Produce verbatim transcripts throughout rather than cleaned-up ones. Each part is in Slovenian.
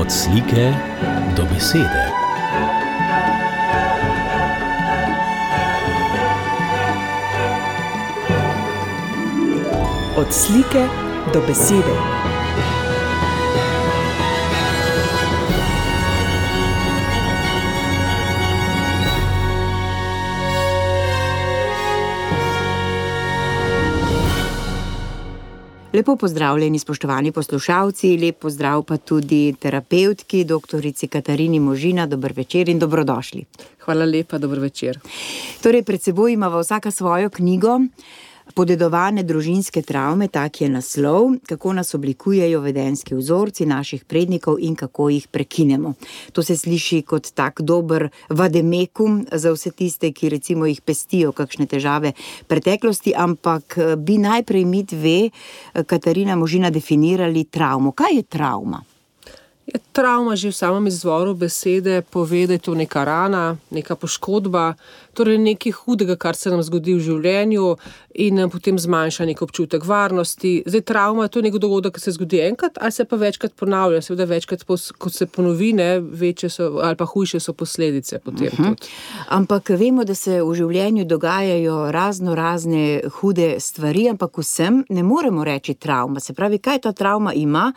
Od slike do besede. Od slike do besede. Lepo pozdravljeni, spoštovani poslušalci, lep pozdrav pa tudi terapevtki, doktorici Katarini Možina. Dober večer in dobrodošli. Hvala lepa, dober večer. Torej, pred seboj imava vsaka svojo knjigo, Podedovane družinske travme, tak je naslov, kako nas oblikujejo vedenjski vzorci naših prednikov in kako jih prekinemo. To se sliši kot tak dober vademekum za vse tiste, ki recimo jih pestijo kakšne težave preteklosti, ampak bi najprej mi dve, Katarina Možina, definirali travmo. Kaj je travma? Je travma že v samem izvoru besede pove, da je to neka rana, neka poškodba, torej nekaj hudega, kar se nam zgodi v življenju in nam potem zmanjša nek občutek varnosti. Zdaj, travma je to nek dogodek, ki se zgodi enkrat, ali se pa večkrat ponavlja. Seveda večkrat, kot se ponovi, ne, večje so ali pa hujše so posledice potem. Uh-huh. Ampak vemo, da se v življenju dogajajo razno razne hude stvari, ampak vsem ne moremo reči travma. Se pravi, kaj ta travma ima,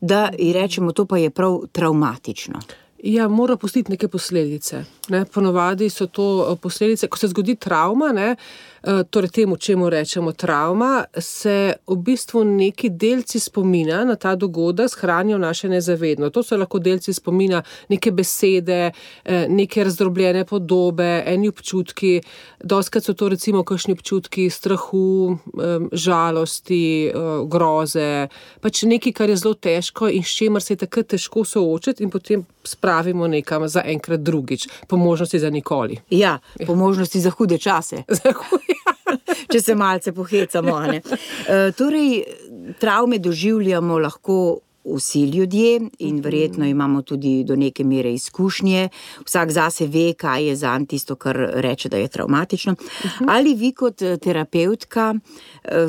da ji rečemo, to pa je prav travmatično. Ja, mora pustiti neke posledice. Ne? Ponovadi so to posledice, ko se zgodi travma, ne? Torej temu, čemu rečemo travma, se v bistvu neki delci spomina na ta dogodek shranijo naše nezavedno. To so lahko delci spomina, neke besede, neke razdrobljene podobe, eni občutki. Dostikrat so to recimo kakšni občutki strahu, žalosti, groze, pač nekaj, kar je zelo težko in s čemer se je takrat težko soočiti in potem spravimo nekam za enkrat drugič, po možnosti za nikoli. Ja, po možnosti za hude čase. Za hude. Če se malce pohecamo, ne. E, torej, travme doživljamo lahko vsi ljudje in verjetno imamo tudi do neke mere izkušnje. Vsak zase ve, kaj je zanj tisto, kar reče, da je travmatično. Ali vi kot terapevtka e,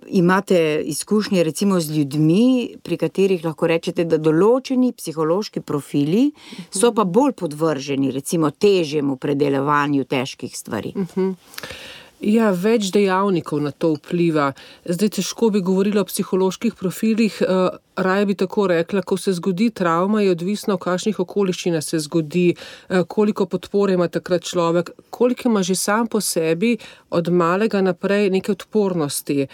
imate izkušnje recimo z ljudmi, pri katerih lahko rečete, da določeni psihološki profili so pa bolj podvrženi recimo težjemu predelovanju težkih stvari? Uh-huh. Ja, več dejavnikov na to vpliva. Zdaj težko bi govorila o psiholoških profilih, raje bi tako rekla, ko se zgodi travma, je odvisno, v kakšnih okoliščinah se zgodi, koliko podpore ima takrat človek, koliko ima že sam po sebi od malega naprej neke odpornosti.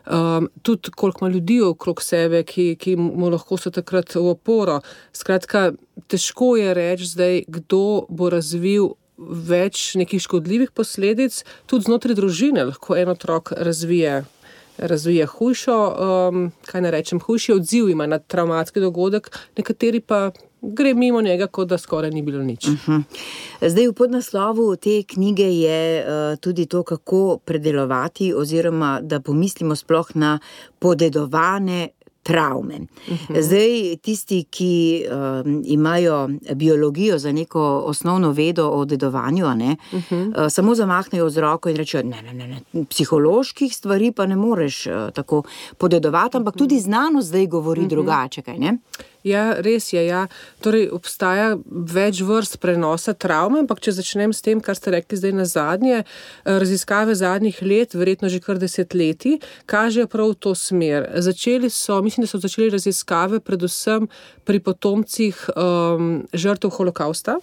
Um, tudi koliko ima ljudi okrog sebe, ki, ki mu lahko so takrat v oporo. Skratka, težko je reči zdaj, kdo bo razvil več nekih škodljivih posledic, tudi znotraj družine lahko en otrok razvije, razvije hujšo, um, kaj ne rečem, hujši odziv ima na travmatski dogodek, nekateri pa gre mimo njega, kot da skoraj ni bilo nič. Uh-huh. Zdaj, v podnaslovu te knjige je uh, tudi to, kako predelovati oziroma da pomislimo sploh na podedovane travme. Uh-huh. Zdaj, tisti, ki um, imajo biologijo za neko osnovno vedo o dedovanju, ne, uh-huh. uh, samo zamahnejo z roko in rečejo, ne, ne, ne, ne, psiholoških stvari pa ne moreš uh, tako podedovati, ampak uh-huh. tudi znanost zdaj govori uh-huh. drugače, kaj ne? Ja, res je, ja. Torej, obstaja več vrst prenosa travme, ampak če začnem s tem, kar ste rekli zdaj na zadnje, raziskave zadnjih let, verjetno že kar desetletij, kažejo prav v to smer. Začeli so, mislim, da so začeli raziskave predvsem pri potomcih um, žrtev holokausta,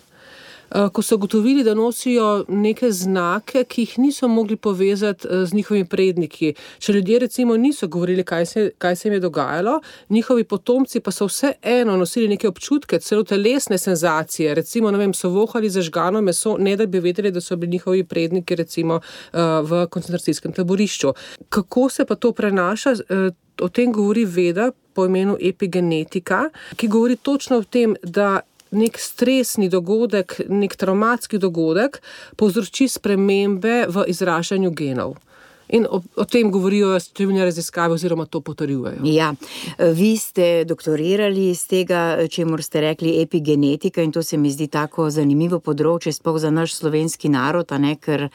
ko so ugotovili, da nosijo neke znake, ki jih niso mogli povezati z njihovimi predniki. Če ljudje recimo niso govorili, kaj se, kaj se jim je dogajalo, njihovi potomci pa so vse eno nosili neke občutke, celo telesne senzacije, recimo, ne vem, so vohali zažgano meso, ne da bi vedeli, da so bili njihovi predniki recimo v koncentracijskem taborišču. Kako se pa to prenaša? O tem govori veda po imenu epigenetika, ki govori točno o tem, da nek stresni dogodek, nek travmatski dogodek povzroči spremembe v izražanju genov. In o, o tem govorijo številne raziskave oziroma to potrjujejo. Ja, vi ste doktorirali iz tega, čemur ste rekli epigenetika, in to se mi zdi tako zanimivo področje, sploh za naš slovenski narod, a ne, ker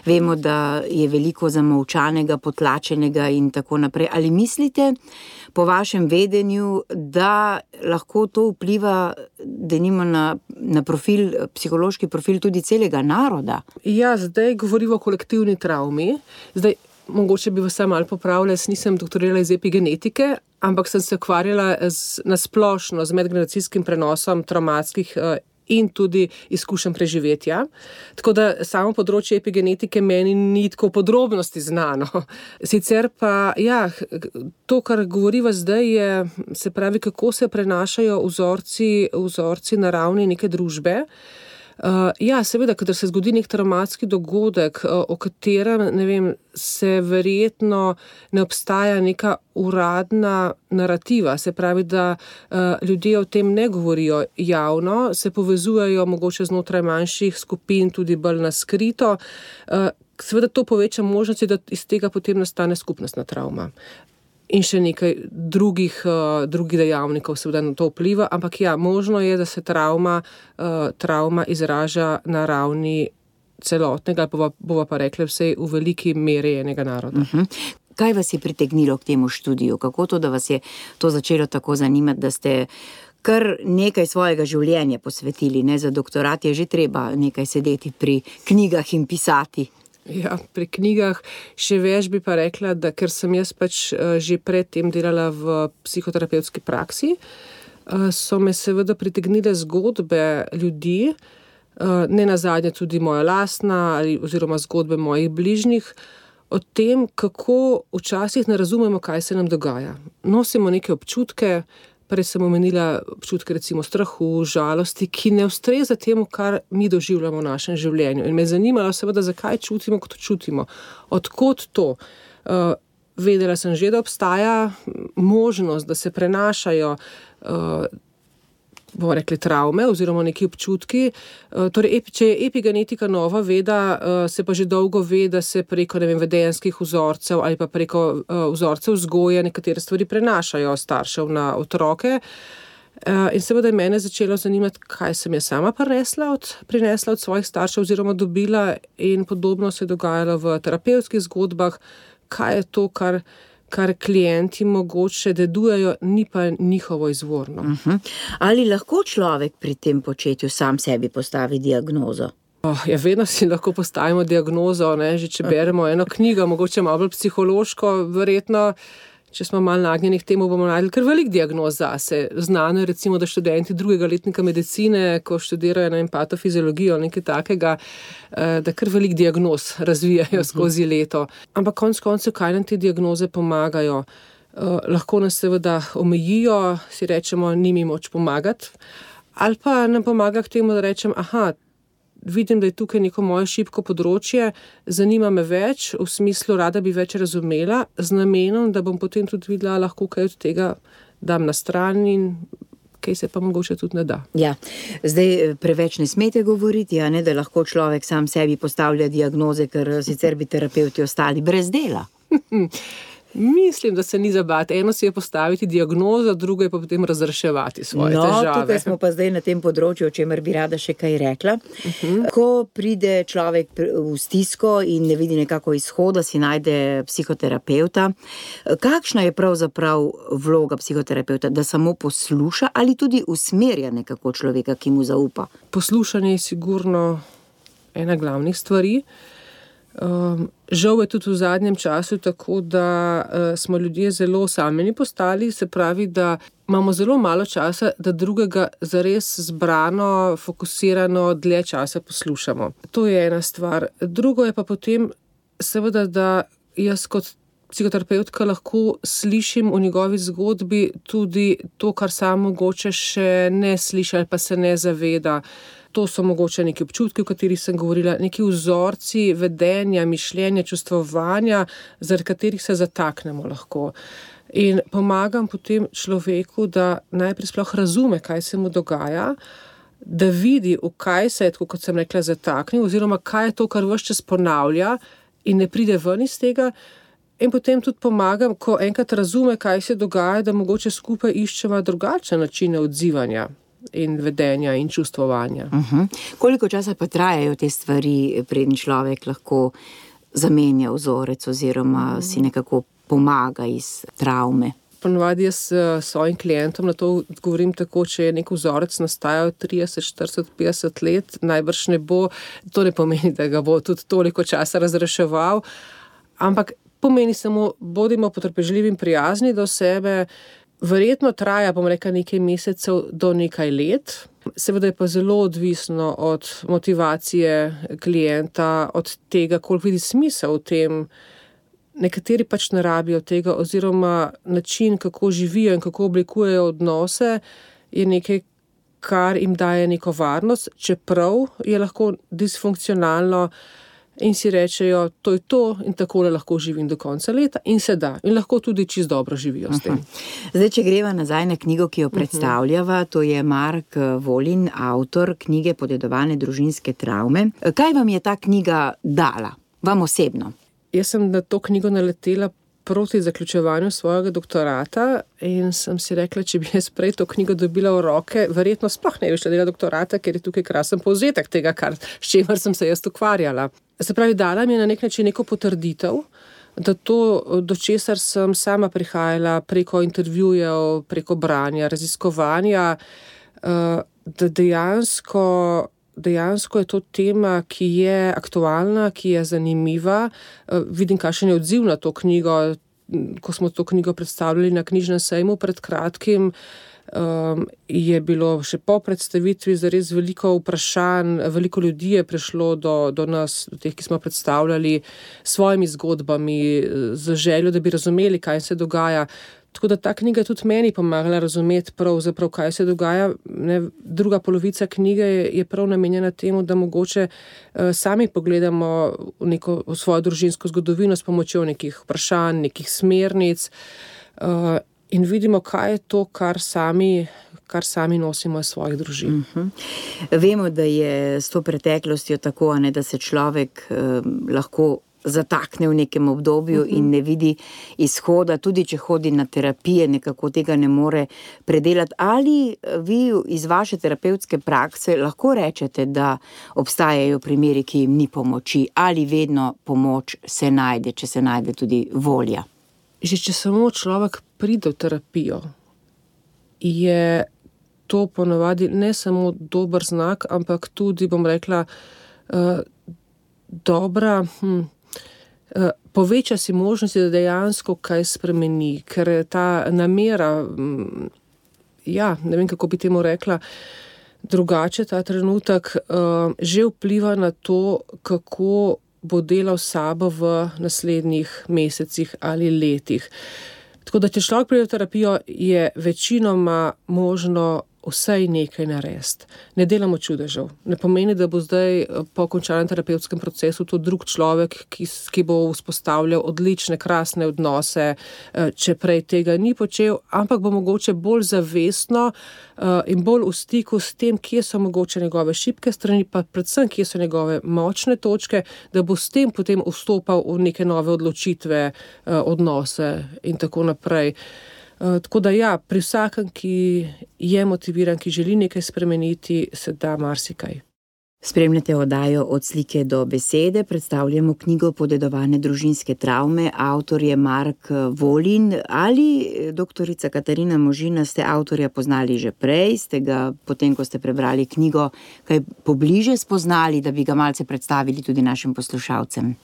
vemo, da je veliko zamolčanega, potlačenega in tako naprej. Ali mislite, po vašem vedenju, da lahko to vpliva denimo na, na profil, psihološki profil tudi celega naroda? Ja, zdaj govorimo o kolektivni travmi. Zdaj, mogoče bi vas malo popravila, jaz nisem doktorirala iz epigenetike, ampak sem se ukvarjala z, na splošno z medgeneracijskim prenosom travmatskih uh, in tudi izkušenj preživetja. Tako da samo področje epigenetike meni ni tako podrobnosti znano. Sicer pa, ja, to, kar govoriva zdaj, je, se pravi, kako se prenašajo vzorci, vzorci na ravni neke družbe. Uh, ja, seveda, kadar se zgodi nek travmatski dogodek, uh, o katerem, ne vem, se verjetno ne obstaja neka uradna narativa, se pravi, da uh, ljudje o tem ne govorijo javno, se povezujejo mogoče znotraj manjših skupin, tudi bolj na skrito. Uh, seveda to poveča možnosti, da iz tega potem nastane skupnostna travma. In še nekaj drugih, uh, drugih dejavnikov seveda na to vpliva, ampak ja, možno je, da se travma, uh, travma izraža na ravni celotnega, bova, bova pa rekla vsej v veliki meri enega naroda. Uh-huh. Kaj vas je pritegnilo k temu študiju? Kako to, da vas je to začelo tako zanimati, da ste kar nekaj svojega življenja posvetili, ne? Za doktorat je že treba nekaj sedeti pri knjigah in pisati. Ja, pri knjigah še več bi pa rekla, da ker sem jaz pač že predtem delala v psihoterapevtski praksi, so me seveda pritegnile zgodbe ljudi, ne nazadnje tudi moja lastna ali oziroma zgodbe mojih bližnjih, o tem, kako včasih ne razumemo, kaj se nam dogaja. Nosimo neke občutke, prej sem omenila občutke recimo strahu, žalosti, ki ne ustreza temu, kar mi doživljamo v našem življenju. In me je zanimalo seveda, zakaj čutimo, kot čutimo. Odkot to? Uh, vedela sem že, da obstaja možnost, da se prenašajo uh, bomo rekli travme oziroma neki občutki. Uh, torej, epi, če je epigenetika nova veda, uh, se pa že dolgo ve, da se preko ne vem, vedenjskih vzorcev ali pa preko uh, vzorcev vzgoje nekatere stvari prenašajo staršev na otroke. Uh, in seveda je mene začelo zanimati, kaj sem jaz sama prinesla od, prinesla od svojih staršev oziroma dobila, in podobno se je dogajalo v terapevtskih zgodbah, kaj je to, kar kar klienti mogoče dedujejo, ni pa njihovo izvorno. Uh-huh. Ali lahko človek pri tem početju sam sebi postavi diagnozo? Oh, ja, vedno si lahko postavimo diagnozo, ne? Že če beremo eno knjigo, mogoče malo bolj psihološko, verjetno, če smo malo nagnjeni k temu, bomo najdli kar velik diagnoz zase. Znano je recimo, da študenti drugega letnika medicine, ko študirajo na patofizologijo, nekaj takega, da kar velik diagnoz razvijajo uh-huh. skozi leto. Ampak konec koncev, kaj nam te diagnoze pomagajo? Uh, lahko nas seveda omejijo, si rečemo, ni mi moč pomagati, ali pa nam pomaga k temu, da rečem, aha, vidim, da je tukaj neko moje šibko področje, zanima me več, v smislu rada bi več razumela, z namenom, da bom potem tudi videla, lahko kaj od tega dam na stran in kaj se pa mogoče tudi ne da. Ja, zdaj preveč ne smete govoriti, a ne, da lahko človek sam sebi postavlja diagnoze, ker sicer bi terapevti ostali brez dela. Mislim, da se ni zabati. Eno si je postaviti diagnozo, drugo je pa potem razreševati svoje no, težave. No, tukaj smo pa zdaj na tem področju, o čemer bi rada še kaj rekla. Uh-huh. Ko pride človek v stisko in ne vidi nekako izhoda, si najde psihoterapevta. Kakšna je pravzaprav vloga psihoterapevta? Da samo posluša ali tudi usmerja nekako človeka, ki mu zaupa? Poslušanje je sigurno ena glavnih stvari. Um, žal je tudi v zadnjem času tako, da uh, smo ljudje zelo osamljeni postali, se pravi, da imamo zelo malo časa, da drugega zares zbrano, fokusirano dlje časa poslušamo. To je ena stvar. Drugo je pa potem seveda, da jaz kot psihoterapeutka lahko slišim v njegovi zgodbi tudi to, kar sam mogoče še ne sliši ali pa se ne zaveda. To so mogoče neki občutki, o katerih sem govorila, neki vzorci vedenja, mišljenja, čustvovanja, zaradi katerih se zataknemo lahko. In pomagam potem človeku, da najprej sploh razume, kaj se mu dogaja, da vidi, v kaj se je, tako kot sem rekla, zataknil, oziroma kaj je to, kar ves čas ponavlja in ne pride ven iz tega. In potem tudi pomagam, ko enkrat razume, kaj se dogaja, da mogoče skupaj iščeva drugačne načine odzivanja in vedenja in čustvovanja. Uh-huh. Koliko časa pa trajajo te stvari, preden človek lahko zamenja vzorec oziroma si nekako pomaga iz travme? Ponovadi jaz s svojim klientom na to govorim tako, če je nek vzorec nastajal trideset, štirideset, petdeset let, najbrž ne bo, to ne pomeni, da ga bo tudi toliko časa razreševal, ampak pomeni samo, bodimo potrpežljivi in prijazni do sebe, verjetno traja, bom rekla, nekaj mesecev do nekaj let, seveda je pa zelo odvisno od motivacije klienta, od tega, koliko vidi smisel v tem. Nekateri pač ne rabijo tega oziroma način, kako živijo in kako oblikujejo odnose, je nekaj, kar jim daje neko varnost, čeprav je lahko disfunkcionalno in si rečejo, to je to in takole lahko živim do konca leta in se da. In lahko tudi čisto dobro živijo s tem. Zdaj, če greva nazaj na knjigo, ki jo predstavljava, to je Mark Volin, avtor knjige Podedovane družinske travme. Kaj vam je ta knjiga dala, vam osebno? Jaz sem na to knjigo naletela proti zaključevanju svojega doktorata in sem si rekla, če bi jaz prej to knjigo dobila v roke, verjetno sploh ne bi šla delati doktorata, ker je tukaj krasen povzetek tega, kar, s čemer sem se jaz ukvarjala. Se pravi, dala mi je na nek način neko potrditev, da to, do česar sem sama prihajala preko intervjujev, preko branja, raziskovanja, da dejansko Dejansko je to tema, ki je aktualna, ki je zanimiva. Vidim, kakšen je odziv na to knjigo, ko smo to knjigo predstavljali na knjižnem sejmu pred kratkim. Um, je bilo še po predstavitvi zares veliko vprašanj, veliko ljudi je prišlo do, do nas, do teh, ki smo predstavljali s svojimi zgodbami, z željo, da bi razumeli, kaj se dogaja. Tako da ta knjiga je tudi meni pomagala razumeti pravzaprav, kaj se dogaja. Ne, druga polovica knjige je, je prav namenjena temu, da mogoče uh, sami pogledamo v neko v svojo družinsko zgodovino s pomočjo nekih vprašanj, nekih smernic uh, in vidimo, kaj je to, kar sami, kar sami nosimo iz svojih družin. Uh-huh. Vemo, da je s to preteklostjo tako, ne, da se človek uh, lahko zatakne v nekem obdobju uh-huh. in ne vidi izhoda, tudi če hodi na terapije, nekako tega ne more predelati. Ali vi iz vaše terapevtske prakse lahko rečete, da obstajajo primeri, ki jim ni pomoči, ali vedno pomoč se najde, če se najde tudi volja? Že če samo človek pride v terapijo, je to ponovadi ne samo dober znak, ampak tudi, bom rekla, uh, dobra... Hm, poveča si možnosti, da dejansko kaj spremeni, ker ta namera, ja, ne vem, kako bi temu rekla, drugače ta trenutek že vpliva na to, kako bo delal sabo v naslednjih mesecih ali letih. Tako da, če človek pride v terapijo, je večinoma možno vsaj nekaj narediti. Ne delamo čudežev. Ne pomeni, da bo zdaj po končanem terapevtskem procesu to drug človek, ki, ki bo vzpostavljal odlične, krasne odnose, če prej tega ni počel, ampak bo mogoče bolj zavestno in bolj v stiku s tem, kje so mogoče njegove šibke strani, pa predvsem, kje so njegove močne točke, da bo s tem potem vstopal v neke nove odločitve, odnose in tako naprej. Uh, tako da ja, pri vsakem, ki je motiviran, ki želi nekaj spremeniti, se da marsikaj. Spremljate oddajo Od slike do besede, predstavljamo knjigo Podedovane družinske travme, avtor je Mark Volin. Ali, doktorica Katarina Možina, ste avtorja poznali že prej, ste ga, potem ko ste prebrali knjigo, kaj pobliže spoznali, da bi ga malce predstavili tudi našim poslušalcem?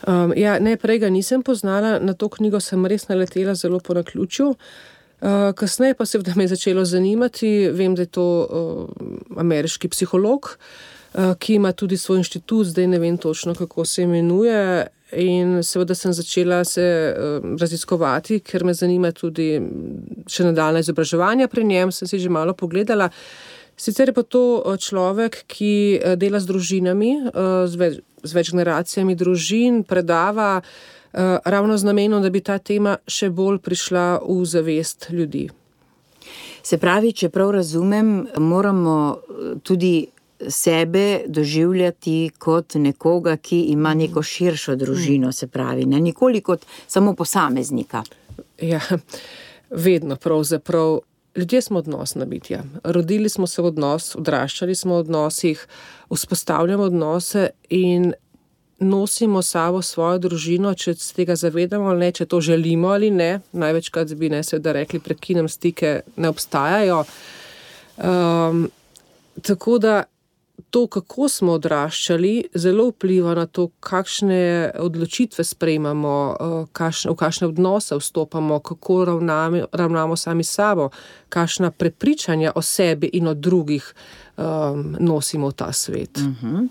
Um, ja, ne, prej ga nisem poznala, na to knjigo sem res naletela zelo po naključju. Uh, kasneje pa seveda me je začelo zanimati, vem, da je to uh, ameriški psiholog, uh, ki ima tudi svoj inštitut, zdaj ne vem točno, kako se imenuje, in seveda sem začela se uh, raziskovati, ker me zanima tudi še nadaljnja izobraževanja pri njem, sem si že malo pogledala. Sicer je pa to človek, ki dela z družinami, z več, z več generacijami družin, predava ravno z namenom, da bi ta tema še bolj prišla v zavest ljudi. Se pravi, če prav razumem, moramo tudi sebe doživljati kot nekoga, ki ima neko širšo družino, se pravi, ne nikoli kot samo posameznika. Ja, vedno pravzaprav. Ljudje smo odnosna bitja. Rodili smo se v odnos, odraščali smo v odnosih, vzpostavljamo odnose in nosimo sabo svojo družino, če se tega zavedamo ali ne, če to želimo ali ne. Največkrat bi ne seveda rekli, prekinem stike, ne obstajajo. Um, tako da to, kako smo odraščali, zelo vpliva na to, kakšne odločitve sprejmamo, kakšne, v kakšne odnose vstopamo, kako ravnamo, ravnamo sami sabo, kakšna prepričanja o sebi in o drugih um, nosimo v ta svet. Uh-huh.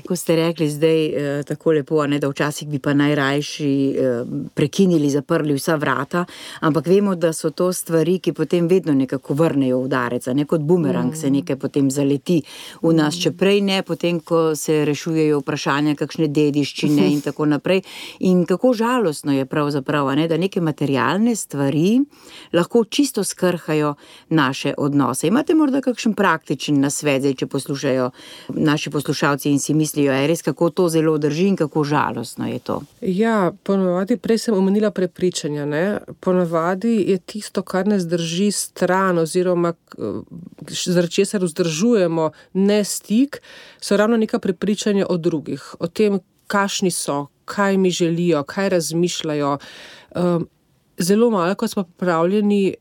Ko ste rekli zdaj eh, tako lepo, ne, da včasih bi pa najrajši eh, prekinili, zaprli vsa vrata, ampak vemo, da so to stvari, ki potem vedno nekako vrnejo udarec, ne kot bumerang mm. se nekaj potem zaleti v nas, če prej ne, potem, ko se rešujejo vprašanja, kakšne dediščine in tako naprej. In kako žalostno je pravzaprav, ne, da neke materialne stvari lahko čisto skrhajo naše odnose. Imate morda kakšen praktičen nasvet, zdaj, če poslušajo naši poslušalci in si mislijo, je res, kako to zelo drži in kako žalostno je to? Ja, ponavadi, prej sem omenila prepričanja, ne? Ponavadi je tisto, kar nas drži stran oziroma zaradi česar vzdržujemo ne stik, so ravno neka prepričanja o drugih, o tem, kakšni so, kaj mi želijo, kaj razmišljajo. Zelo malo, ko smo pripravljeni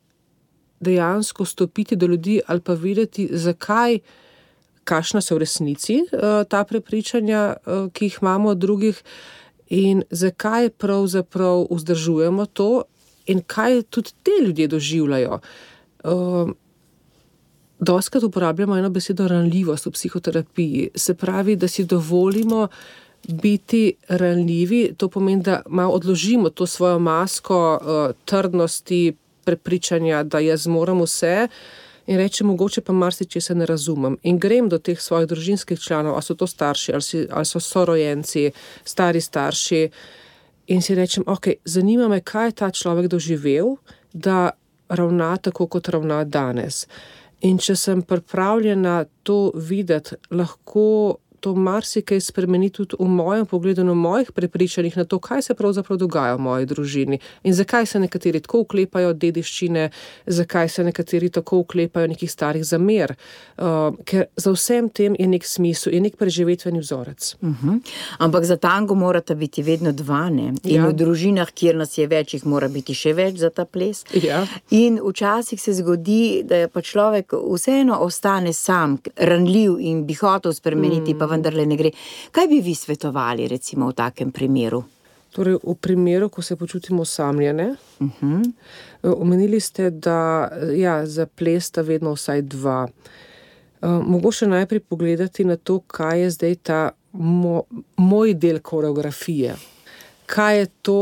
dejansko stopiti do ljudi ali pa videti, zakaj, kakšna so v resnici ta prepričanja, ki jih imamo od drugih in zakaj pravzaprav vzdržujemo to in kaj tudi te ljudje doživljajo. Dostikrat uporabljamo eno besedo ranljivost v psihoterapiji, se pravi, da si dovolimo biti ranljivi, to pomeni, da malo odložimo to svojo masko trdnosti, prepričanja, da jaz moram vse in rečem, mogoče pa marsičesa ne razumem. In grem do teh svojih družinskih članov, ali so to starši, ali, si, ali so sorojenci, stari starši in si rečem, ok, zanima me, kaj je ta človek doživel, da ravna tako, kot ravna danes. In če sem pripravljena to videti, lahko to marsikaj spremeni tudi v mojem pogledu, na mojih prepričanjih na to, kaj se pravzaprav dogaja v moji družini in zakaj se nekateri tako uklepajo dediščine, zakaj se nekateri tako uklepajo nekih starih zamer, uh, ker za vsem tem je nek smisel, je nek preživetveni vzorec. Uh-huh. Ampak za tango morata biti vedno dva, ne? In ja. V družinah, kjer nas je več, jih mora biti še več za ta ples. Ja. In včasih se zgodi, da pa človek vseeno ostane sam, ranljiv in bi hotel spremeniti, mm. pa vendarle ne gre. Kaj bi vi svetovali, recimo, v takem primeru? Torej, v primeru, ko se počutimo osamljene, uh-huh. omenili ste, da ja, za ples sta vedno vsaj dva. Uh, mogoče najprej pogledati na to, kaj je zdaj ta mo, moj del koreografije. Kaj je to,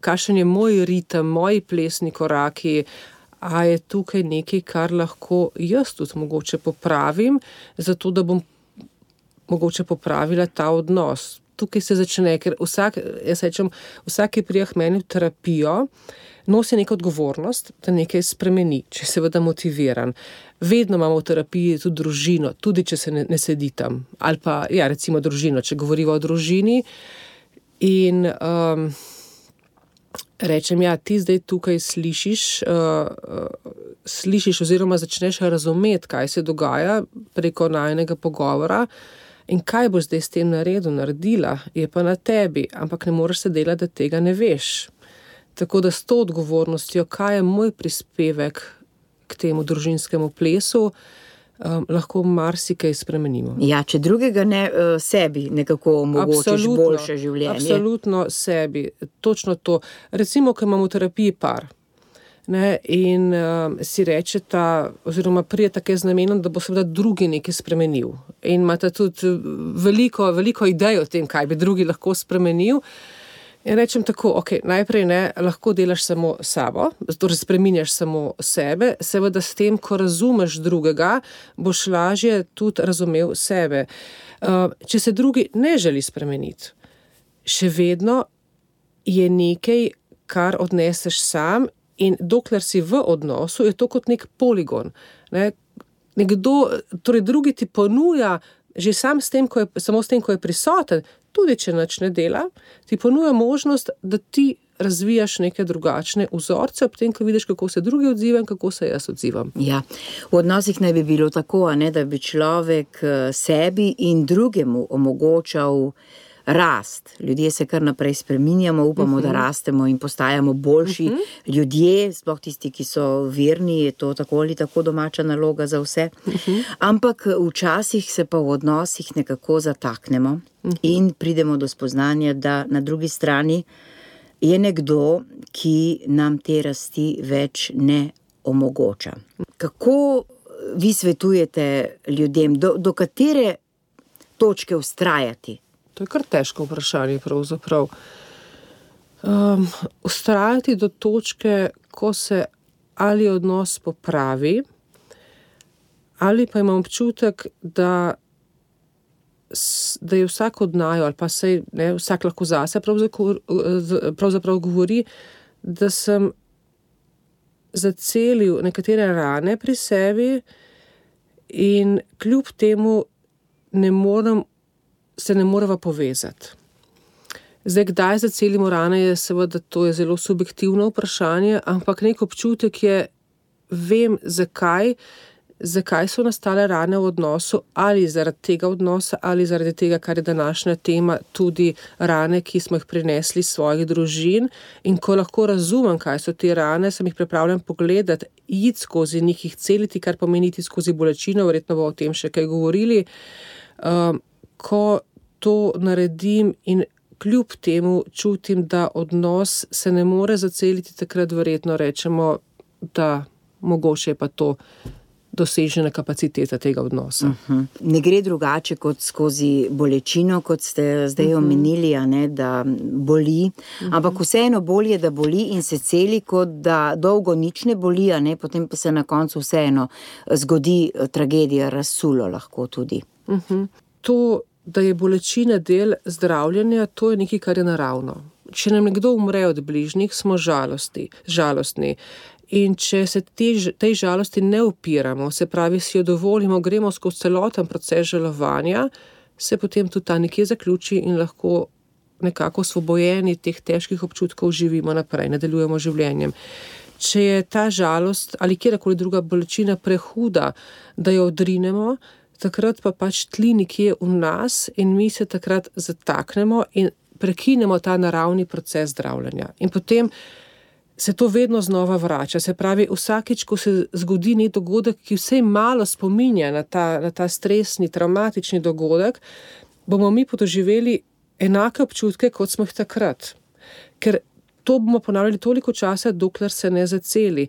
kakšen je moj ritem, moji plesni koraki, a je tukaj nekaj, kar lahko jaz tudi mogoče popravim, zato da bom mogoče popravila ta odnos. Tukaj se začne, ker vsak, jaz rečem, vsak, ki prija k meni v terapijo, nosi neko odgovornost, da nekaj spremeni, če je seveda motiviran. Vedno imamo v terapiji tudi družino, tudi če se ne, ne sedi tam. Ali pa, ja, recimo družino, če govorimo o družini. In um, rečem, ja, ti zdaj tukaj slišiš, uh, uh, slišiš oziroma začneš razumeti, kaj se dogaja preko najinega pogovora, in kaj boš zdaj s tem naredil, naredila, je pa na tebi, ampak ne moreš se delati, da tega ne veš. Tako da s to odgovornostjo, kaj je moj prispevek k temu družinskemu plesu, um, lahko marsikaj spremenimo. Ja, če drugega ne, sebi nekako omogočiš absolutno, boljše življenje. Absolutno sebi, točno to. Recimo, ko imamo v terapiji par, ne, in um, si rečeta, oziroma prije take z namenom, da bo seveda drugi nekaj spremenil. In imate tudi veliko, veliko idej o tem, kaj bi drugi lahko spremenil. In rečem tako, ok, najprej ne, lahko delaš samo sabo, torej spreminjaš samo sebe, seveda s tem, ko razumeš drugega, boš lažje tudi razumel sebe. Uh, če se drugi ne želi spremeniti, še vedno je nekaj, kar odneseš sam, in dokler si v odnosu, je to kot nek poligon. Ne, nekdo, torej drugi ti ponuja, že sam s tem, ko je, samo s tem, ko je prisoten, tudi če nič ne dela, ti ponuja možnost, da ti razvijaš neke drugačne vzorce, ob tem, ko vidiš, kako se drugi odzivam, kako se jaz odzivam. Ja, v odnosih naj bi bilo tako, a ne, da bi človek sebi in drugemu omogočal rast. Ljudje se kar naprej spreminjamo, upamo, uh-huh. da rastemo in postajamo boljši uh-huh. ljudje, sploh tisti, ki so verni, je to tako ali tako domača naloga za vse. Uh-huh. Ampak včasih se pa v odnosih nekako zataknemo uh-huh. in pridemo do spoznanja, da na drugi strani je nekdo, ki nam te rasti več ne omogoča. Kako vi svetujete ljudem, do, do katere točke vztrajati? To je kar težko vprašanje pravzaprav. Um, vztrajati do točke, ko se ali odnos popravi, ali pa imam občutek, da da je vsak od naju, ali pa sej, ne, vsak lahko zase pravzaprav, pravzaprav govori, da sem zacelil nekatere rane pri sebi in kljub temu ne morem, se ne moreva povezati. Zdaj, kdaj zacelimo rane, je seveda, to je zelo subjektivno vprašanje, ampak nek občutek je, vem, zakaj, zakaj so nastale rane v odnosu, ali zaradi tega odnosa, ali zaradi tega, kar je današnja tema, tudi rane, ki smo jih prinesli iz svojih družin. In ko lahko razumem, kaj so te rane, sem jih pripravljen pogledati, iti skozi njih, jih celiti, kar pomeni iti skozi bolečino, verjetno bo o tem še kaj govorili. Um, ko to naredim in kljub temu čutim, da odnos se ne more zaceliti, takrat verjetno rečemo, da mogoče je pa to dosežena kapaciteta tega odnosa. Uh-huh. Ne gre drugače kot skozi bolečino, kot ste zdaj uh-huh. omenili, a ne, da boli, uh-huh. ampak vseeno bolje, da boli in se celi, kot da dolgo nič ne boli, a ne, potem pa se na koncu vseeno zgodi tragedija, razsulo lahko tudi. Uh-huh. To, da je bolečina del zdravljenja, to je nekaj, kar je naravno. Če nam nekdo umre od bližnjih, smo žalosti, žalostni. In če se te, tej žalosti ne upiramo, se pravi, si jo dovolimo, gremo skozi celoten proces žalovanja, se potem tudi ta nekje zaključi in lahko nekako osvobojeni teh težkih občutkov živimo naprej, nadaljujemo življenjem. Če je ta žalost ali kjerkoli druga bolečina prehuda, da jo odrinemo, takrat pa pač tli nekje v nas in mi se takrat zataknemo in prekinemo ta naravni proces zdravljenja. In potem se to vedno znova vrača. Se pravi, vsakič, ko se zgodi nek dogodek, ki vsej malo spominja na ta, na ta stresni, traumatični dogodek, bomo mi podoživeli enake občutke, kot smo jih takrat. Ker to bomo ponavljali toliko časa, dokler se ne zaceli.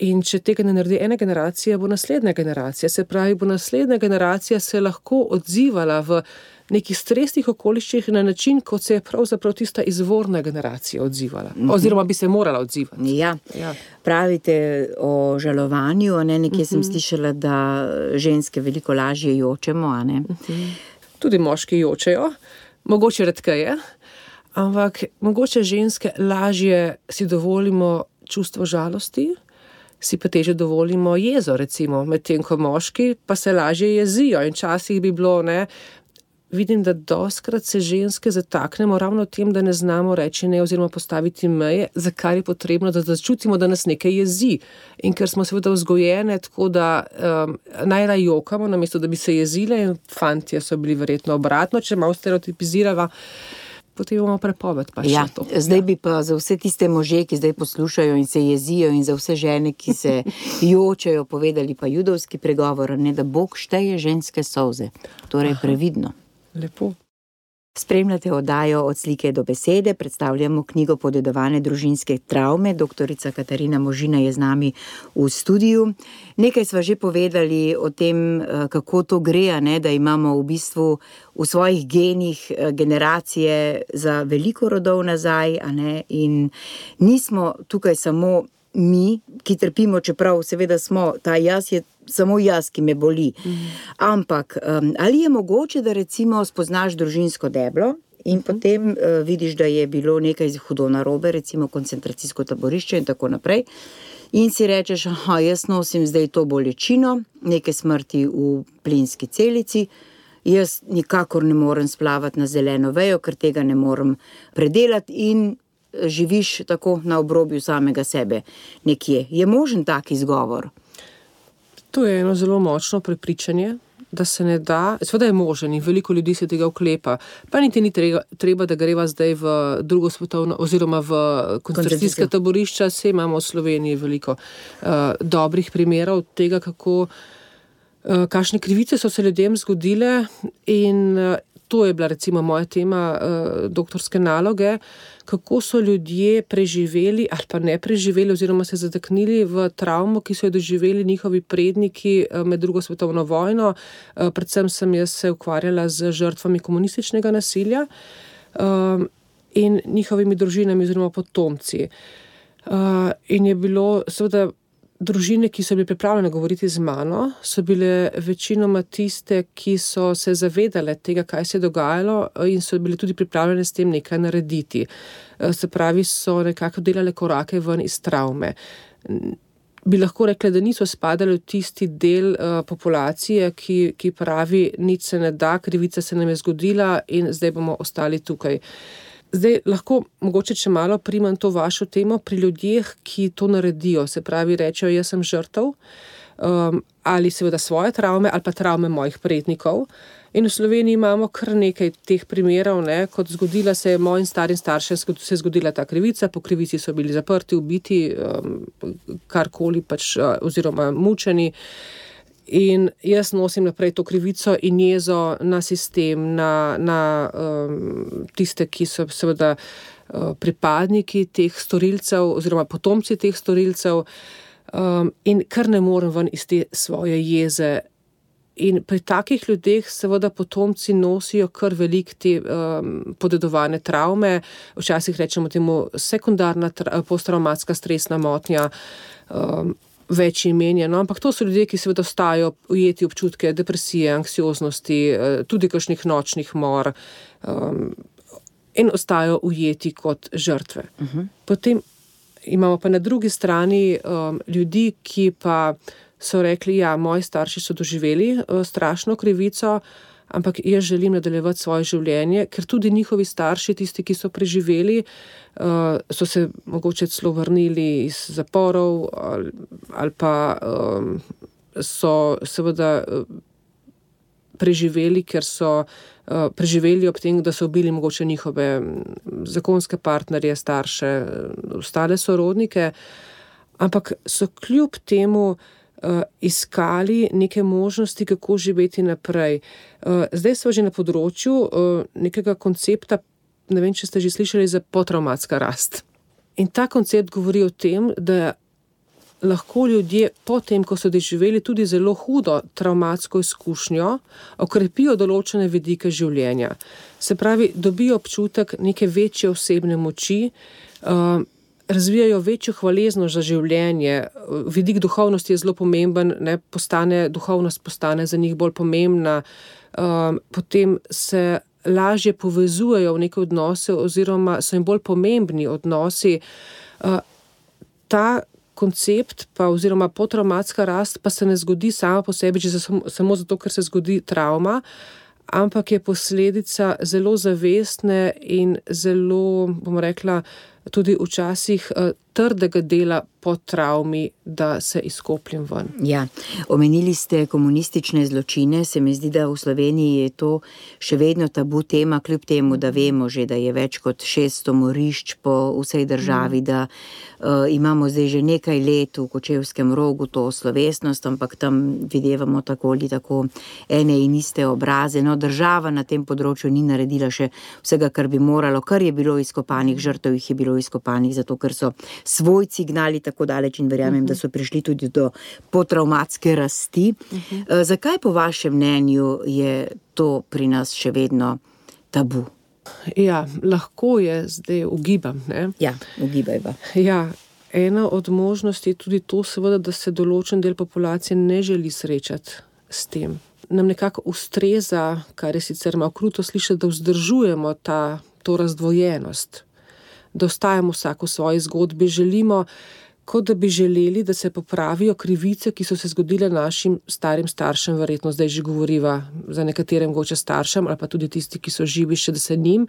In če tega ne naredi ena generacija, bo naslednja generacija. Se pravi, bo naslednja generacija se lahko odzivala v nekih stresnih okoliščih na način, kot se je pravzaprav tista izvorna generacija odzivala. Oziroma bi se morala odzivati. Ja, ja. Pravite o žalovanju, a ne, nekje uh-huh. sem slišala, da ženske veliko lažje jočemo, a ne? Uh-huh. Tudi moški jočejo, mogoče redkeje, ampak mogoče ženske lažje si dovolimo čustvo žalosti, si pa teže dovolimo jezo, recimo, medtem ko moški pa se lažje jezijo in časih bi bilo, ne, vidim, da dostkrat se ženske zataknemo ravno tem, da ne znamo reči ne oziroma postaviti meje, za kar je potrebno, da začutimo, da nas nekaj jezi. In ker smo seveda vzgojene, tako da um, najraje jokamo, namesto da bi se jezile, in fantje so bili verjetno obratno, če malo stereotipizirava, potem imamo prepoved pa še ja, to. Zdaj bi pa za vse tiste može, ki zdaj poslušajo in se jezijo, in za vse žene, ki se jočejo, povedali pa judovski pregovor, ne, da Bog šteje ženske solze. Torej previdno. Lepo. Spremljate oddajo Od slike do besede, predstavljamo knjigo Podedovane družinske travme. Doktorica Katarina Možina je z nami v studiu. Nekaj sva že povedali o tem, kako to gre, ne, da imamo v bistvu v svojih genih generacije za veliko rodov nazaj, a ne, in nismo tukaj samo mi, ki trpimo, čeprav seveda smo, ta jaz je samo jaz, ki me boli. Mm. Ampak um, ali je mogoče, da recimo spoznaš družinsko deblo in mm. potem uh, vidiš, da je bilo nekaj hudo narobe, recimo koncentracijsko taborišče in tako naprej, in si rečeš, aha, jaz nosim zdaj to bolečino, neke smrti v plinski celici, jaz nikakor ne morem splavati na zeleno vejo, ker tega ne morem predelati in živiš tako na obrobju samega sebe nekje. Je možen tak izgovor? To je eno zelo močno prepričanje, da se ne da, seveda je možen in veliko ljudi se tega oklepa, pa niti ni treba, treba da greva zdaj v drugo svetovno oziroma v koncentracijska taborišča, se imamo v Sloveniji veliko uh, dobrih primerov tega, kako, uh, kakšne krivice so se ljudem zgodile in uh, to je bila recimo moja tema uh, doktorske naloge, kako so ljudje preživeli ali pa ne preživeli oziroma se zataknili v travmo, ki so jo doživeli njihovi predniki med drugo svetovno vojno. Predvsem sem jaz se ukvarjala z žrtvami komunističnega nasilja in njihovimi družinami oziroma potomci. In je bilo seveda družine, ki so bile pripravljene govoriti z mano, so bile večinoma tiste, ki so se zavedale tega, kaj se je dogajalo in so bile tudi pripravljene s tem nekaj narediti. Se pravi, so nekako delale korake ven iz travme. Bi lahko rekla, da niso spadali v tisti del uh, populacije, ki, ki pravi, nič se ne da, krivica se nam je zgodila in zdaj bomo ostali tukaj. Zdaj, lahko mogoče če malo primam to vašo temo pri ljudeh, ki to naredijo, se pravi, rečejo, jaz sem žrtev, um, ali seveda svoje travme, ali pa travme mojih prednikov. In v Sloveniji imamo kar nekaj teh primerov, ne, kot zgodila se je mojim starim staršem, se je zgodila ta krivica, po krivici so bili zaprti, ubiti, um, karkoli pač, uh, oziroma mučeni. In jaz nosim naprej to krivico in jezo na sistem, na, na um, tiste, ki so seveda uh, pripadniki teh storilcev oziroma potomci teh storilcev um, in kar ne morem ven iz te svoje jeze. In pri takih ljudeh seveda potomci nosijo kar velik te um, podedovane travme, včasih rečemo temu sekundarna tra- posttraumatska stresna motnja, um, več imenja, no, ampak to so ljudje, ki seveda ostajajo ujeti občutke depresije, anksioznosti, tudi kakšnih nočnih mor um, in ostajajo ujeti kot žrtve. Uh-huh. Potem imamo pa na drugi strani um, ljudi, ki pa so rekli, ja, moji starši so doživeli uh, strašno krivico, ampak jaz želim nadaljevati svoje življenje, ker tudi njihovi starši, tisti, ki so preživeli, uh, so se mogoče celo vrnili iz zaporov ali, ali pa um, so seveda uh, preživeli, ker so uh, preživeli ob tem, da so ubili mogoče njihove zakonske partnerje, starše, ostale sorodnike, ampak so kljub temu Uh, iskali neke možnosti, kako živeti naprej. Uh, zdaj smo že na področju uh, nekega koncepta, ne vem, če ste že slišali za potraumatska rast. In ta koncept govori o tem, da lahko ljudje po tem, ko so doživeli tudi zelo hudo travmatsko izkušnjo, okrepijo določene vidike življenja. Se pravi, dobijo občutek neke večje osebne moči, uh, razvijajo večjo hvaležnost za življenje, vidik duhovnosti je zelo pomemben, ne, postane, duhovnost postane za njih bolj pomembna, um, potem se lažje povezujejo v neke odnose oziroma so jim bolj pomembni odnosi. Uh, ta koncept pa oziroma potraumatska rast pa se ne zgodi sama po sebi, če se samo, samo zato, ker se zgodi travma, ampak je posledica zelo zavestne in zelo, bomo rekla, tudi včasih uh, trdega dela po travmi, da se izkopljem ven. Ja, omenili ste komunistične zločine, se mi zdi, da v Sloveniji je to še vedno tabu tema, kljub temu, da vemo že, da je več kot šeststo morišč po vsej državi, mm. da uh, imamo zdaj že nekaj let v Kočevskem Rogu to slovesnost, ampak tam videvamo tako ali tako ene in iste obraze. No, država na tem področju ni naredila še vsega, kar bi moralo, kar je bilo izkopanih, žrtev jih je bilo izkopanih, zato ker so svojci gnali tako daleč in verjamem, uh-huh. da so prišli tudi do potraumatske rasti. Uh-huh. E, zakaj po vašem mnenju je to pri nas še vedno tabu? Ja, lahko je, zdaj ugibam, ne? Ja, ugibajva. Ja, ena od možnosti je tudi to seveda, da se določen del populacije ne želi srečati s tem. Nam nekako ustreza, kar je sicer malo kruto slišati, da vzdržujemo ta, to razdvojenost, da ostajamo vsako v svoji zgodbi, želimo kot da bi želeli, da se popravijo krivice, ki so se zgodile našim starim staršem, verjetno zdaj že govoriva za nekatere mogoče staršem ali pa tudi tisti, ki so živi še, da se njim.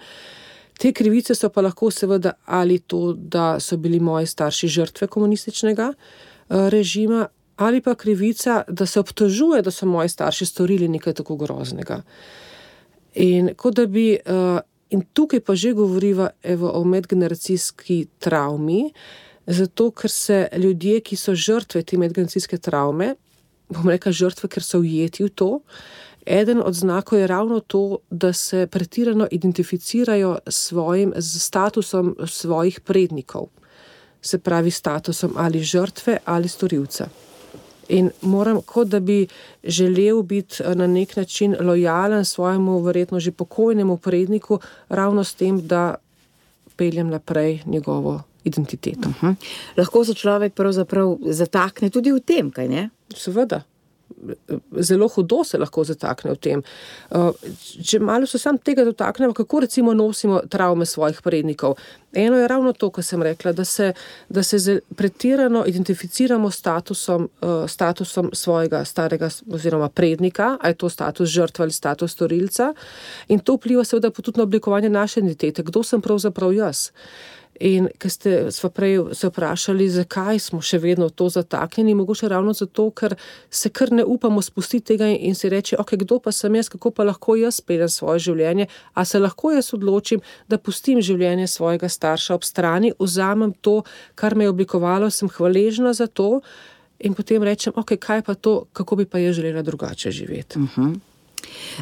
Te krivice so pa lahko seveda ali to, da so bili moji starši žrtve komunističnega režima, ali pa krivica, da se obtožuje, da so moji starši storili nekaj tako groznega. In kot da bi, in tukaj pa že govoriva evo, o medgeneracijski travmi, zato ker se ljudje, ki so žrtve te medgeneracijske travme, bom rekla žrtve, ker so ujeti v to, eden od znakov je ravno to, da se pretirano identificirajo s svojim s statusom svojih prednikov, se pravi statusom ali žrtve ali storilca. In moram, kot da bi želel biti na nek način lojalen svojemu verjetno že pokojnemu predniku, ravno s tem, da peljem naprej njegovo identiteto. Uh-huh. Lahko se človek pravzaprav zatakne tudi v tem, kaj ne? Seveda. Zelo hudo se lahko zatakne v tem. Če malo se sam tega dotaknemo, kako recimo nosimo travme svojih prednikov. Eno je ravno to, kar sem rekla, da se, da se pretirano identificiramo statusom, statusom svojega starega oziroma prednika, a je to status žrtve ali status storilca, in to vpliva seveda tudi na oblikovanje naše identitete. Kdo sem pravzaprav jaz? In ko ste sva prej se vprašali, zakaj smo še vedno to zataknjeni, mogoče ravno zato, ker se kar ne upamo spustiti tega in si reči, ok, kdo pa sem jaz, kako pa lahko jaz peljem svoje življenje, a se lahko jaz odločim, da pustim življenje svojega starša ob strani, vzamem to, kar me je oblikovalo, sem hvaležna za to in potem rečem, ok, kaj pa to, kako bi pa jaz želela drugače živeti. Uh-huh.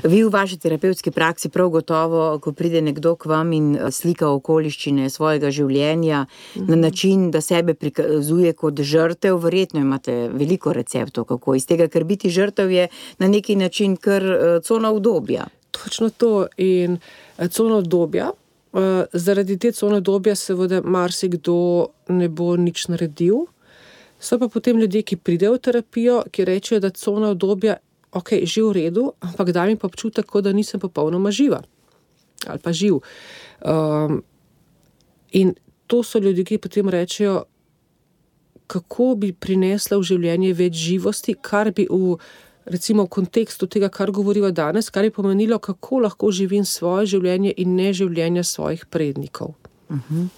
Vi v vaši terapevtski praksi prav gotovo, ko pride nekdo k vam in slika okoliščine svojega življenja mm-hmm. na način, da sebe prikazuje kot žrtev, verjetno imate veliko receptov, kako iz tega, ker biti žrtev je na neki način kar cona udobja. Točno to in cona udobja. Zaradi te cone udobja seveda marsikdo ne bo nič naredil. So pa potem ljudje, ki pridejo v terapijo, ki rečejo, da cona udobja ok, že v redu, ampak da mi pa občutek, kot da nisem popolnoma živa. Ali pa živ. Um, in to so ljudje, ki potem rečejo, kako bi prinesla v življenje več živosti, kar bi v, recimo, v kontekstu tega, kar govoriva danes, kar bi pomenilo, kako lahko živim svoje življenje in ne življenje svojih prednikov. Uh-huh.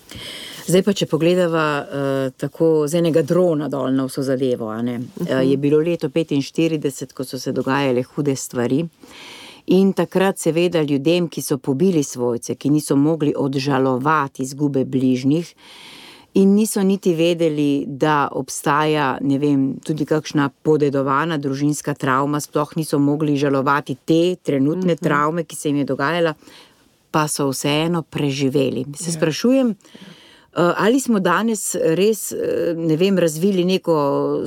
Zdaj pa, če pogledava uh, tako z enega drona dol na vso zadevo, a ne? Uh-huh. uh, je bilo leto petinštirideset, ko so se dogajale hude stvari in takrat seveda ljudem, ki so pobili svojce, ki niso mogli odžalovati izgube bližnjih in niso niti vedeli, da obstaja, ne vem, tudi kakšna podedovana družinska travma, sploh niso mogli žalovati te trenutne uh-huh. travme, ki se jim je dogajala, pa so vseeno preživeli. Se yeah. sprašujem, ali smo danes res, ne vem, razvili neko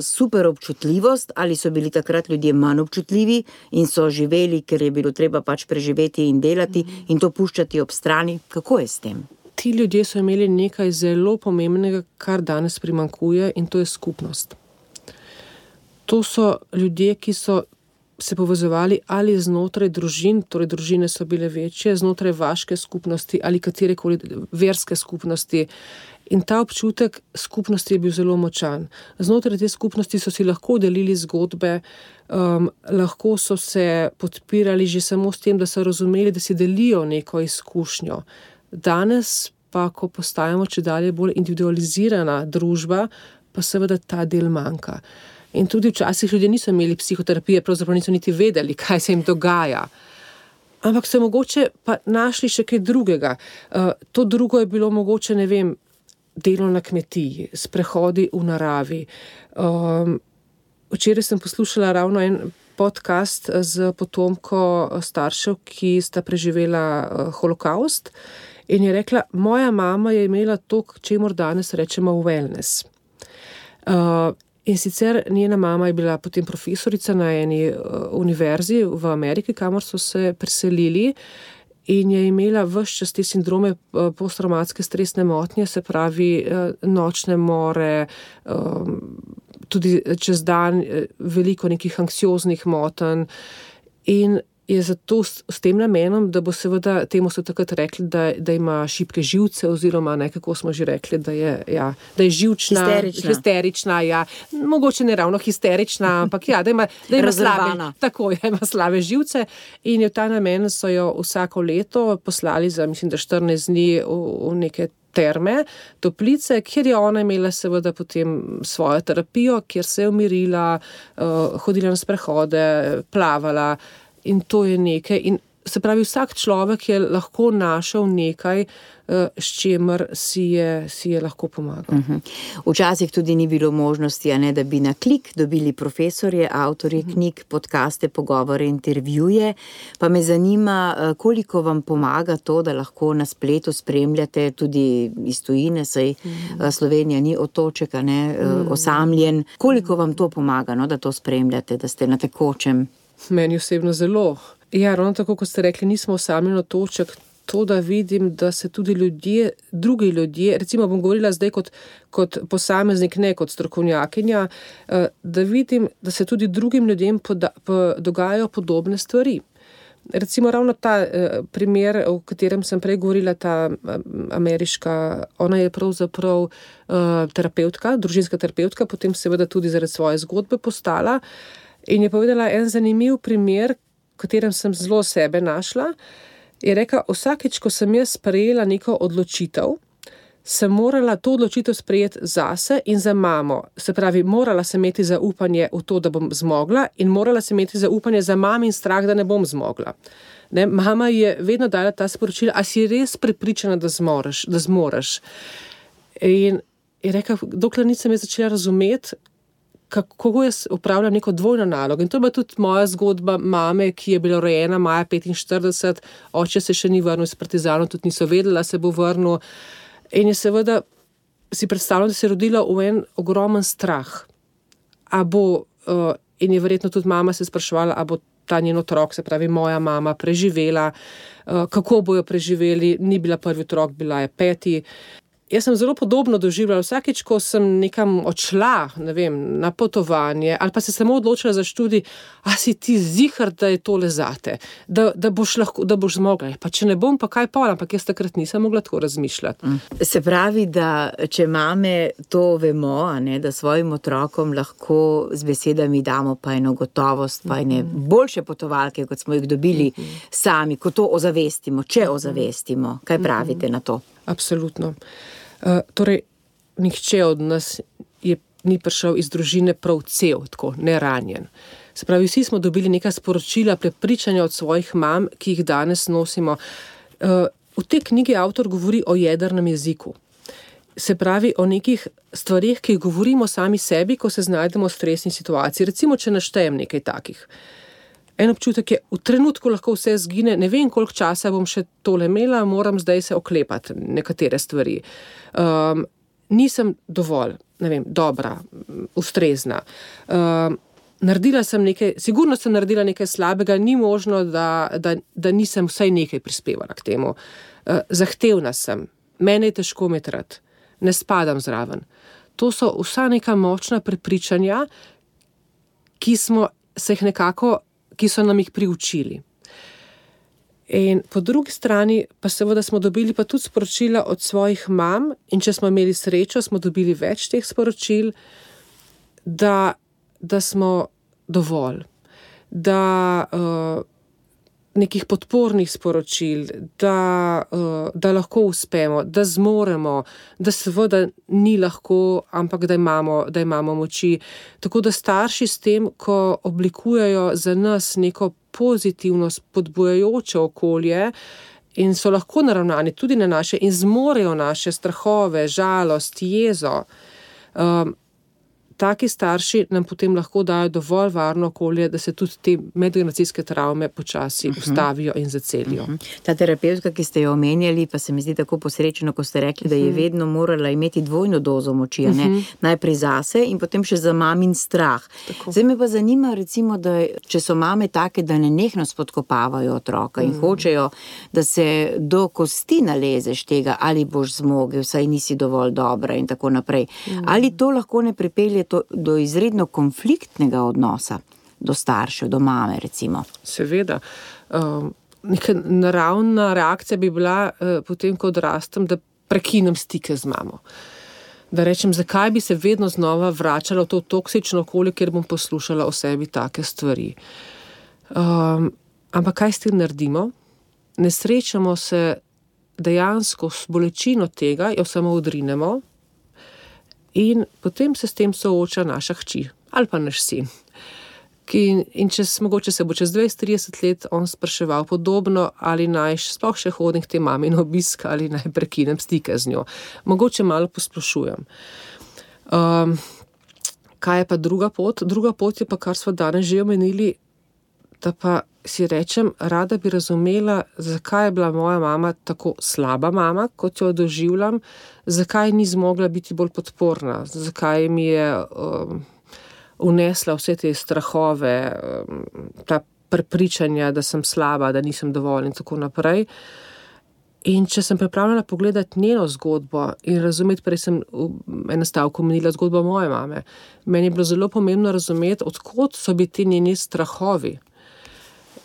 super občutljivost, ali so bili takrat ljudje manj občutljivi in so živeli, ker je bilo treba pač preživeti in delati mm-hmm. in to puščati ob strani. Kako je s tem? Ti ljudje so imeli nekaj zelo pomembnega, kar danes primanjkuje, in to je skupnost. To so ljudje, ki so se povezovali ali znotraj družin, torej družine so bile večje, znotraj vaške skupnosti ali katerekoli verske skupnosti. In ta občutek skupnosti je bil zelo močan. Znotraj te skupnosti so si lahko delili zgodbe, um, lahko so se podpirali že samo s tem, da so razumeli, da si delijo neko izkušnjo. Danes pa, ko postajamo čedalje bolj individualizirana družba, pa seveda ta del manjka. In tudi včasih ljudje niso imeli psihoterapije, pravzaprav niso niti vedeli, kaj se jim dogaja. Ampak so mogoče pa našli še kaj drugega. Uh, to drugo je bilo mogoče, ne vem, delo na kmetiji, sprehodi v naravi. Um, včeraj sem poslušala ravno en podcast z potomko staršev, ki sta preživela uh, holokaust, in je rekla, moja mama je imela to, čemur danes rečemo wellness. Uh, In sicer njena mama je bila potem profesorica na eni univerzi v Ameriki, kamor so se preselili, in je imela ves čas te sindrome posttraumatske stresne motnje, se pravi nočne more, tudi čez dan veliko nekih anksioznih motenj. In je zato s, s tem namenom, da bo seveda, temu so takrat rekli, da, da ima šibke živce, oziroma nekako smo že rekli, da je, ja, da je živčna, histerična, histerična ja, mogoče ne ravno histerična, ampak ja, da ima, da ima slabe, tako, ja, ima slabe živce, in v ta namen so jo vsako leto poslali za, mislim, da štirinajst dni v, v neke terme, toplice, kjer je ona imela seveda potem svojo terapijo, kjer se je umirila, uh, hodila na sprehode, plavala, in to je nekaj. In se pravi, vsak človek je lahko našel nekaj, s čimer si je, si je lahko pomagal. Uh-huh. Včasih tudi ni bilo možnosti, a ne, da bi na klik dobili profesorje, avtorje uh-huh. knjig, podcaste, pogovore, intervjuje. Pa me zanima, koliko vam pomaga to, da lahko na spletu spremljate tudi iz tujine, saj uh-huh. Slovenija ni otoček, a ne, uh-huh. osamljen. Koliko vam to pomaga, no, da to spremljate, da ste na tekočem? Meni osebno zelo. Ja, ravno tako, kot ste rekli, nismo osamljen otoček. To, da vidim, da se tudi ljudje, drugi ljudje, recimo bom govorila zdaj kot, kot posameznik, ne kot strokovnjakinja, da vidim, da se tudi drugim ljudem poda, po, dogajajo podobne stvari. Recimo ravno ta eh, primer, o katerem sem prej govorila, ta ameriška, ona je pravzaprav eh, terapeutka, družinska terapeutka, potem seveda tudi zaradi svoje zgodbe postala, in je povedala en zanimiv primer, v katerem sem zelo sebe našla. Je rekla, vsakeč, ko sem jaz sprejela neko odločitev, sem morala to odločitev sprejeti zase in za mamo. Se pravi, morala sem imeti zaupanje v to, da bom zmogla, in morala sem imeti zaupanje za mami in strah, da ne bom zmogla. Ne, mama je vedno dala ta sporočila, a si res prepričana, da zmoreš, da zmoreš. In je rekla, dokler nisem jaz začela razumeti, kako jaz upravljam neko dvojno nalogo. In to je bila tudi moja zgodba mame, ki je bila rojena maja petinštirideset, oče se še ni vrnil iz partizanov, tudi niso vedela, se bo vrnil. In je seveda si predstavljala, da se je rodila v en ogromen strah. A bo, uh, in je verjetno tudi mama se spraševala, a bo ta njen otrok, se pravi moja mama, preživela, uh, kako bo jo preživeli, ni bila prvi otrok, bila je peti. Jaz sem zelo podobno doživljala vsakeč, ko sem nekam odšla, ne vem, na potovanje, ali pa se samo odločila za študij, a si ti zihar, da je tole zate, da, da boš lahko, da boš zmogla. Pa če ne bom, pa kaj pol, ampak jaz takrat nisem mogla tako razmišljati. Se pravi, da če mame to vemo, a ne, da svojim otrokom lahko z besedami damo pa eno gotovost, pa ene boljše potovalke, kot smo jih dobili sami, ko to ozavestimo, če ozavestimo. Kaj pravite na to? Absolutno. Uh, torej, nihče od nas je, ni prišel iz družine prav cel, tako, neranjen. Se pravi, vsi smo dobili neka sporočila, prepričanja od svojih mam, ki jih danes nosimo. Uh, v tej knjigi avtor govori o jedrnem jeziku. Se pravi, o nekih stvarih, ki jih govorimo sami sebi, ko se znajdemo v stresni situaciji. Recimo, če naštejem nekaj takih. En občutek je, v trenutku lahko vse zgine, ne vem, koliko časa bom še tole imela, moram zdaj se oklepati nekatere stvari. Um, nisem dovolj, ne vem, dobra, ustrezna. Um, naredila sem nekaj, sigurno sem naredila nekaj slabega, ni možno, da, da, da nisem vsaj nekaj prispevala k temu. Uh, zahtevna sem, mene je težko imeti rad, ne spadam zraven. To so vsa neka močna prepričanja, ki smo se jih nekako ki so nam jih priučili. In po drugi strani pa seveda smo dobili pa tudi sporočila od svojih mam, in če smo imeli srečo, smo dobili več teh sporočil, da, da smo dovolj, da uh, nekih podpornih sporočil, da, uh, da lahko uspemo, da zmoremo, da seveda ni lahko, ampak da imamo, da imamo moči. Tako da starši s tem, ko oblikujejo za nas neko pozitivno, spodbujajoče okolje in so lahko naravnani tudi na naše in zmorejo naše strahove, žalost, jezo, um, taki starši nam potem lahko dajo dovolj varno okolje, da se tudi te medgeneracijske travme počasi uh-huh. ustavijo in zacelijo. Uh-huh. Ta terapeutka, ki ste jo omenjali, pa se mi zdi tako posrečeno, ko ste rekli, uh-huh. da je vedno morala imeti dvojno dozo moči, uh-huh. ne? Najprej zase in potem še za mamin strah. Tako. Zdaj me pa zanima, recimo, da če so mame take, da nenehno spodkopavajo otroka uh-huh. in hočejo, da se do kosti nalezeš tega, ali boš zmogel, saj nisi dovolj dobra in tako naprej. Uh-huh. Ali to lahko ne pripelje to, do izredno konfliktnega odnosa do staršev, do mame recimo? Seveda. um, neka naravna reakcija bi bila uh, potem, ko odrastem, da prekinem stike z mamo. Da rečem, zakaj bi se vedno znova vračala v to toksično okolje, kjer bom poslušala o sebi take stvari. Um, ampak kaj s tem naredimo? Ne srečamo se dejansko s bolečino tega, jo samo odrinemo in potem se s tem sooča naša hči ali pa naš sin. Ki, in čez, mogoče se bo čez dvajset trideset let on spraševal podobno, ali naj sploh še hodim k tej mami na obisk ali naj prekinem stike z njo. Mogoče malo posplošujem. Um, kaj je pa druga pot? Druga pot je pa, kar smo danes že omenili, da pa si rečem, rada bi razumela, zakaj je bila moja mama tako slaba mama, kot jo doživljam, zakaj ni zmogla biti bolj podporna, zakaj mi je um, unesla vse te strahove, um, ta prepričanja, da sem slaba, da nisem dovolj in tako naprej. In če sem pripravljena pogledati njeno zgodbo in razumeti, prej sem eno stavko omenila zgodbo moje mame, meni je bilo zelo pomembno razumeti, odkot so bili ti njeni strahovi.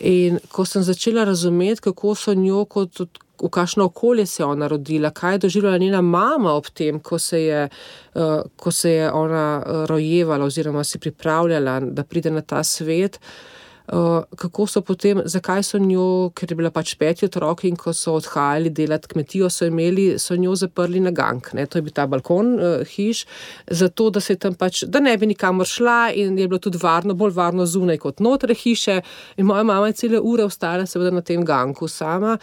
In ko sem začela razumeti, kako so njo, kot, v kakšno okolje se je ona rodila, kaj je doživljala njena mama ob tem, ko se je, uh, ko se je ona rojevala oziroma si pripravljala, da pride na ta svet, uh, kako so potem, zakaj so njo, ker je bila pač peti otrok in ko so odhajali delati kmetijo, so imeli, so njo zaprli na gank, ne, to je bil ta balkon uh, hiš, zato, da se tam pač, da ne bi nikamor šla in je bilo tudi varno, bolj varno zunaj kot notre hiše in moja mama je cele ure ostala seveda na tem ganku sama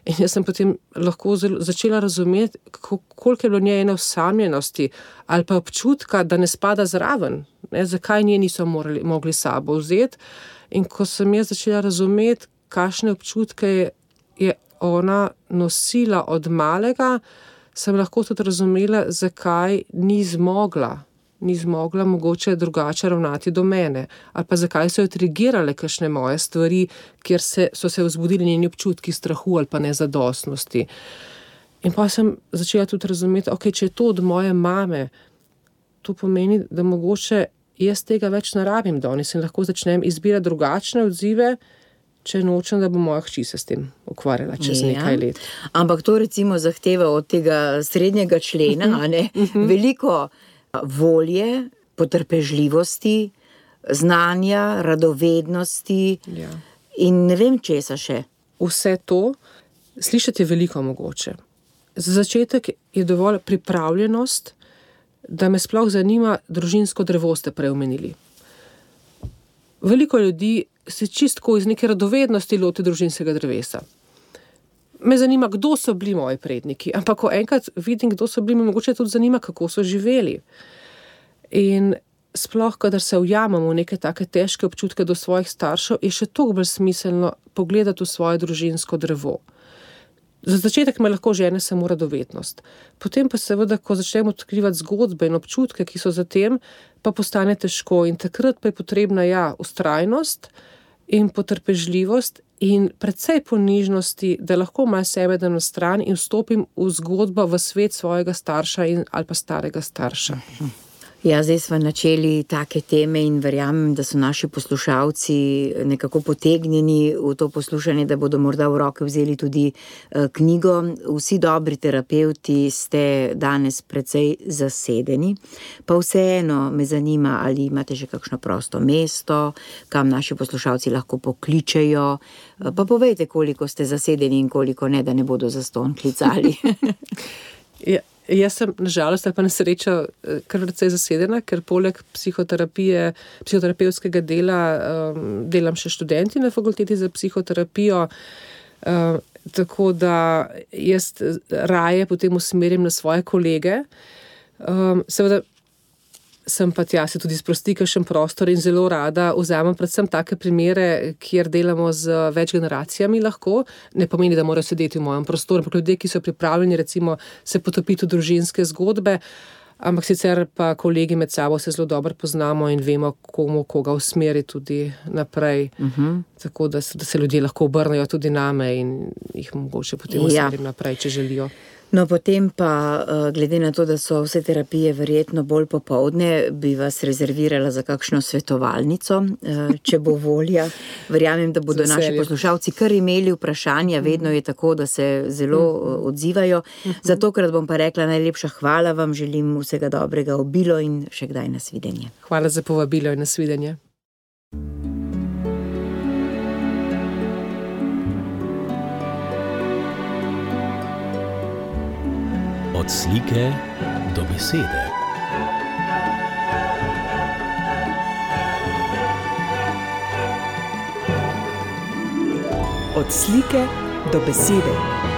in jaz sem potem lahko zelo, začela razumeti, koliko je bilo njej ene osamljenosti ali pa občutka, da ne spada zraven, ne, zakaj nje niso morali, mogli sabo vzeti. In ko sem jaz začela razumeti, kakšne občutke je, je ona nosila od malega, sem lahko tudi razumela, zakaj ni zmogla, ni zmogla mogoče drugače ravnati do mene, ali pa zakaj so jo trigirale kakšne moje stvari, kjer se, so se vzbudili njeni občutki strahu ali pa nezadostnosti. In pa sem začela tudi razumeti, ok, če je to od moje mame, to pomeni, da mogoče jaz tega več ne rabim danes in lahko začnem izbirati drugačne odzive, če nočem, da bo moja hči se s tem ukvarjala čez ja. nekaj let. Ampak to recimo zahteva od tega srednjega člena, uh-huh. ne? Uh-huh. Veliko volje, potrpežljivosti, znanja, radovednosti ja. in ne vem česa še. Vse to, slišati je veliko mogoče. Za začetek je dovolj pripravljenost, da me sploh zanima družinsko drevo, ste prej omenili. Veliko ljudi se čistko iz neke radovednosti loti družinskega drevesa. Me zanima, kdo so bili moji predniki, ampak ko enkrat vidim, kdo so bili, me mogoče tudi zanima, kako so živeli. In sploh, kadar se ujamemo v neke take težke občutke do svojih staršev, je še toliko bolj smiselno pogledati v svoje družinsko drevo. Za začetek me lahko žene samo radovednost. Potem pa seveda, ko začnemo odkrivati zgodbe in občutke, ki so za tem, pa postane težko in takrat pa je potrebna ja, vztrajnost in potrpežljivost in precej ponižnosti, da lahko malo sebe dam na stran in vstopim v zgodbo, v svet svojega starša in, ali pa starega starša. Ja, zdaj smo načeli take teme in verjamem, da so naši poslušalci nekako potegnjeni v to poslušanje, da bodo morda v roke vzeli tudi knjigo. Vsi dobri terapevti ste danes precej zasedeni, pa vseeno me zanima, ali imate že kakšno prosto mesto, kam naši poslušalci lahko pokličejo, pa povejte, koliko ste zasedeni in koliko ne, da ne bodo zastonj klicali. Ja. Jaz sem nažalost ali pa na srečo kar precej zasedena, ker poleg psihoterapije, psihoterapevtskega dela um, delam še študenti na fakulteti za psihoterapijo, um, tako da jaz raje potem usmerim na svoje kolege. Um, seveda sem pa tja se tudi sprosti kakšen prostor in zelo rada vzamem predvsem take primere, kjer delamo z več generacijami lahko. Ne pomeni, da morajo sedeti v mojem prostoru, ampak ljudje, ki so pripravljeni recimo se potopiti v družinske zgodbe, ampak sicer pa kolegi med sabo se zelo dobro poznamo in vemo, komu koga usmeri tudi naprej. Uh-huh. Tako da se, da se ljudje lahko obrnejo tudi name in jih mogoče potem usmerim ja. naprej, če želijo. No, potem pa, glede na to, da so vse terapije verjetno bolj popoldne, bi vas rezervirala za kakšno svetovalnico, če bo volja. Verjamem, da bodo naši poslušalci kar imeli vprašanja, vedno je tako, da se zelo odzivajo. Za tokrat bom pa rekla najlepša hvala vam, želim vsega dobrega, obilo in še kdaj nasvidenje. Hvala za povabilo in nasvidenje. Od slike do besede. Od slike do besede.